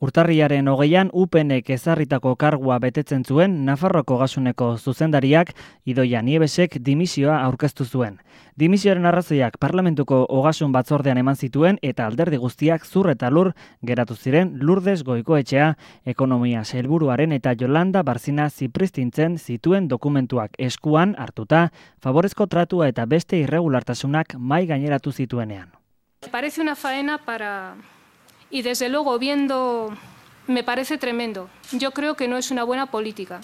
Urtarriaren 20an UPNek ezarritako kargua betetzen zuen Nafarroako Ogasuneko zuzendariak Idoia Nievesek dimisioa aurkeztu zuen. Dimisioaren arrazoiak Parlamentuko Ogasun batzordean eman zituen eta alderdi guztiak zur eta lur geratu ziren Lourdes Goikoetxea, ekonomia sailburuaren eta Yolanda Barzina Zipristintzen zituen dokumentuak eskuan hartuta, favorezko tratua eta beste irregulartasunak mahai gaineratu zituenean. Parece una faena Y desde luego, me parece tremendo. Yo creo que no es una buena política.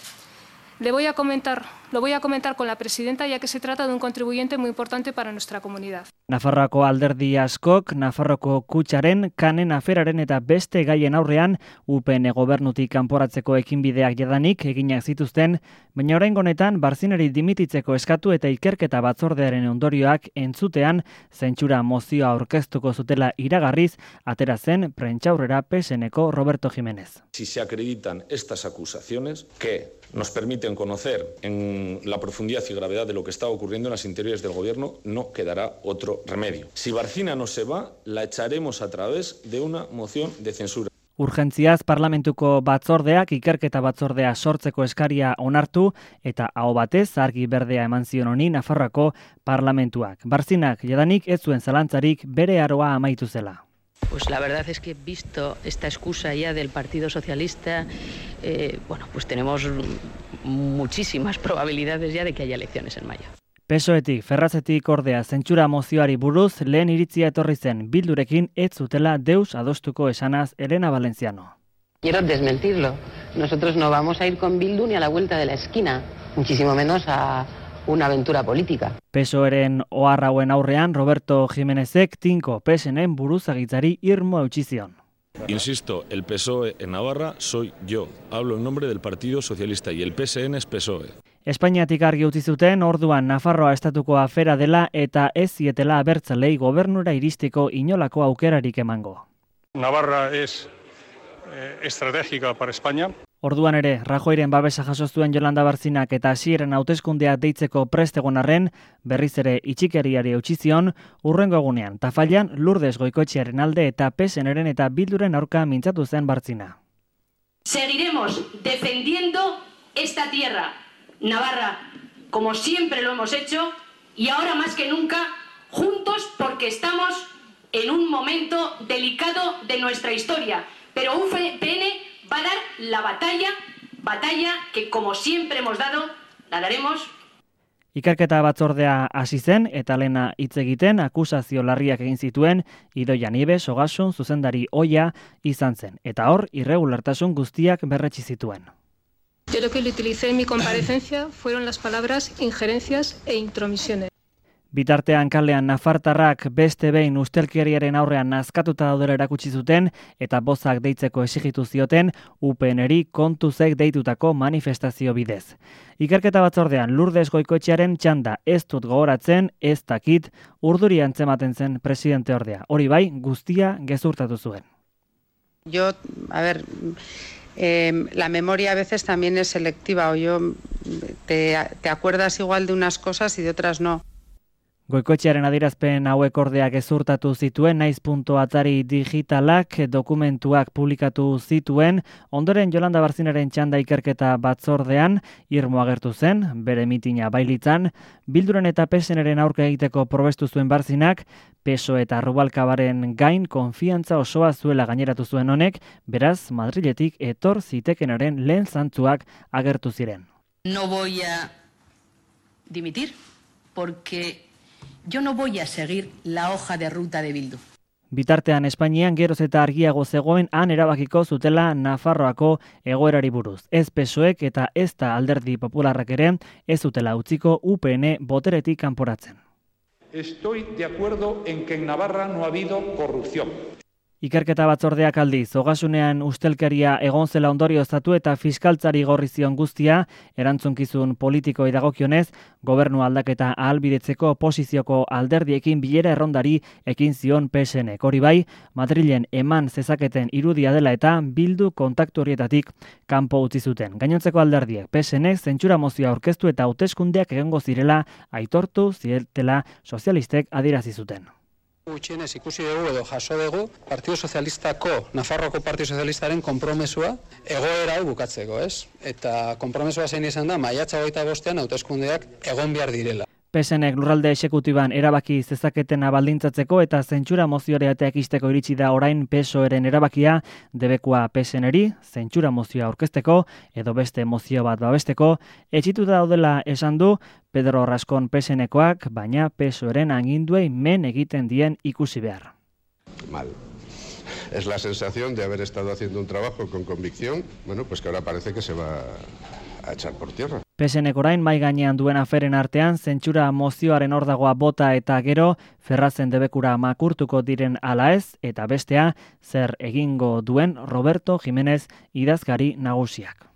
Lo voy a comentar con la presidenta, ya que se trata de un contribuyente muy importante para nuestra comunidad. Nafarroako alderdi askok, Nafarroako kutxaren, kanen aferaren eta beste gaien aurrean UPN gobernutik kanporatzeko ekinbideak jadanik eginak zituzten, baina oraingo honetan Barzinari dimititzeko eskatu eta ikerketa batzordearen ondorioak entzutean zentsura mozioa aurkeztuko zutela iragarriz, atera zen prentsaurrera PSNeko Roberto Jiménez. Si se acreditan estas acusaciones que nos permiten conocer en la profundidad y gravedad de lo que está ocurriendo en las interiores del gobierno, no quedará otro remedio. Si Barcina no se va, la echaremos a través de una moción de censura. Urgentziaz Parlamentuko batzordeak ikerketa batzordea sortzeko eskaria onartu eta aho batez argi berdea eman zion honi Nafarroako parlamentuak. Barzinak jadanik ez zuen zalantzarik bere aroa amaitu zela. Pues la verdad es que visto esta excusa ya del Partido Socialista, pues tenemos muchísimas probabilidades ya de que haya elecciones en mayo. PSOEtik, Ferrazetik ordea zentsura mozioari buruz lehen iritzia etorri zen Bildurekin ez zutela deus adostuko esanaz Elena Valenciano. Quiero desmentirlo. Nosotros no vamos a ir con Bildu ni a la vuelta de la esquina, muchísimo menos a una aventura política. PSOEren oharrauen aurrean Roberto Jiménezek tinko PSN buruzagitzari irmo eutsi zion. Insisto, el PSOE en Navarra soy yo. Hablo en nombre del Partido Socialista y el PSN es PSOE. Espainiatik argi utzi zuten orduan Nafarroa estatuko afera dela eta ez zietela abertzalei gobernura iristeko inolako aukerarik emango. Navarra es estratégica para España. Orduan ere, Rajoyren babesa jaso zuen Yolanda Barzinak eta hasieran hauteskundeak deitzeko prest egon arren, berriz ere itxikeriari eutsi zion, hurrengo egunean Tafallan Lourdes Goikoetxearen alde eta PSNren eta Bilduren aurka mintzatu zen Barzina. Seguiremos defendiendo esta tierra, Navarra, como siempre lo hemos hecho, y ahora más que nunca, juntos porque estamos en un momento delicado de nuestra historia. Pero UPN va a dar la batalla que como siempre hemos dado, la daremos. Ikerketa batzordea hasi zen eta lena hitz egiten akusazio larriak egin zituen Idoia Nieves Ogasun zuzendari ohia izan zen eta hor irregulartasun guztiak berretsi zituen. Yo lo que le utilicé en mi comparecencia fueron las palabras injerencias e intromisiones. Bitartean kalean nafartarrak beste behin ustelkeriaren aurrean nazkatuta daudela erakutsi zuten eta bozak deitzeko exigitu zioten UPNeri kontuzek deitutako manifestazio bidez. Ikerketa batzordean Lourdes Goikoetxearen txanda ez dut gogoratzen, ez dakit, urduri antzematen zen presidente ordea. Hori bai, guztia gezurtatu zuen. Yo, la memoria a veces también es selectiva, o te acuerdas igual de unas cosas y de otras no. Goikoetxearen adierazpen hauek ordea gezurtatu zituen naiz.atari digitalak dokumentuak publikatu zituen, ondoren Yolanda Barzinaren txanda ikerketa batzordean irmo agertu zen, bere mitina bailitzan, Bilduren eta PSNren aurka egiteko probestu zuen Barzinak, PSOE eta Rubalcabaren gain konfiantza osoa zuela gaineratu zuen honek, beraz Madriletik etor zitekenaren lehen zantzuak agertu ziren. No voy a dimitir porque yo no voy a seguir la hoja de ruta de Bildu. Bitartean Espainian geroz eta argiago zegoen han erabakiko zutela Nafarroako egoerari buruz. Ez PSOEk eta ez da Alderdi Popularrak ere ez zutela utziko UPN boteretik kanporatzen. Estoy de acuerdo en que en Navarra no ha habido corrupción. Ikerketa batzordeak aldiz, Ogasunean ustelkeria egon zela ondorioztatu eta fiskaltzari gorri zion guztia, erantzunkizun politikoei dagokionez, gobernu aldaketa ahalbidetzeko oposizioko alderdiekin bilera errondari ekin zion PSNek. Hori bai, Madrilen eman zezaketen irudia dela eta Bildu kontaktu horietatik kanpo utzi zuten. Gainontzeko alderdiek PSNek zentsura mozioa aurkeztu eta hauteskundeak egongo zirela aitortu zietela sozialistek adierazi zuten. Gutxienez ikusi dugu edo jaso dugu Partido Sozialistako, Nafarroako Partido Sozialistaren konpromesua egoera hau bukatzeko, ez? Eta konpromesua zein izan da, maiatza 25ean hauteskundeak egon behar direla. PSNek lurralde exekutiban erabaki zezaketena baldintzatzeko eta zentsura mozioa ekisteko iritsi da orain PSOEren erabakia, debekua PSNeri, zentsura mozioa aurkezteko edo beste mozio bat babesteko, etxituta daudela esan du Pedro Rascón PSNekoak, baina PSOEren aginduei men egiten dien ikusi behar. Mal. Es la sensación de haber estado haciendo un trabajo con convicción, bueno, pues que ahora parece que se va a echar por tierra. PSNek orain mai gainean duen aferen artean zentsura mozioaren ordagoa bota eta gero Ferrazen debekura makurtuko diren ala ez eta bestea zer egingo duen Roberto Jiménez idazkari nagusiak.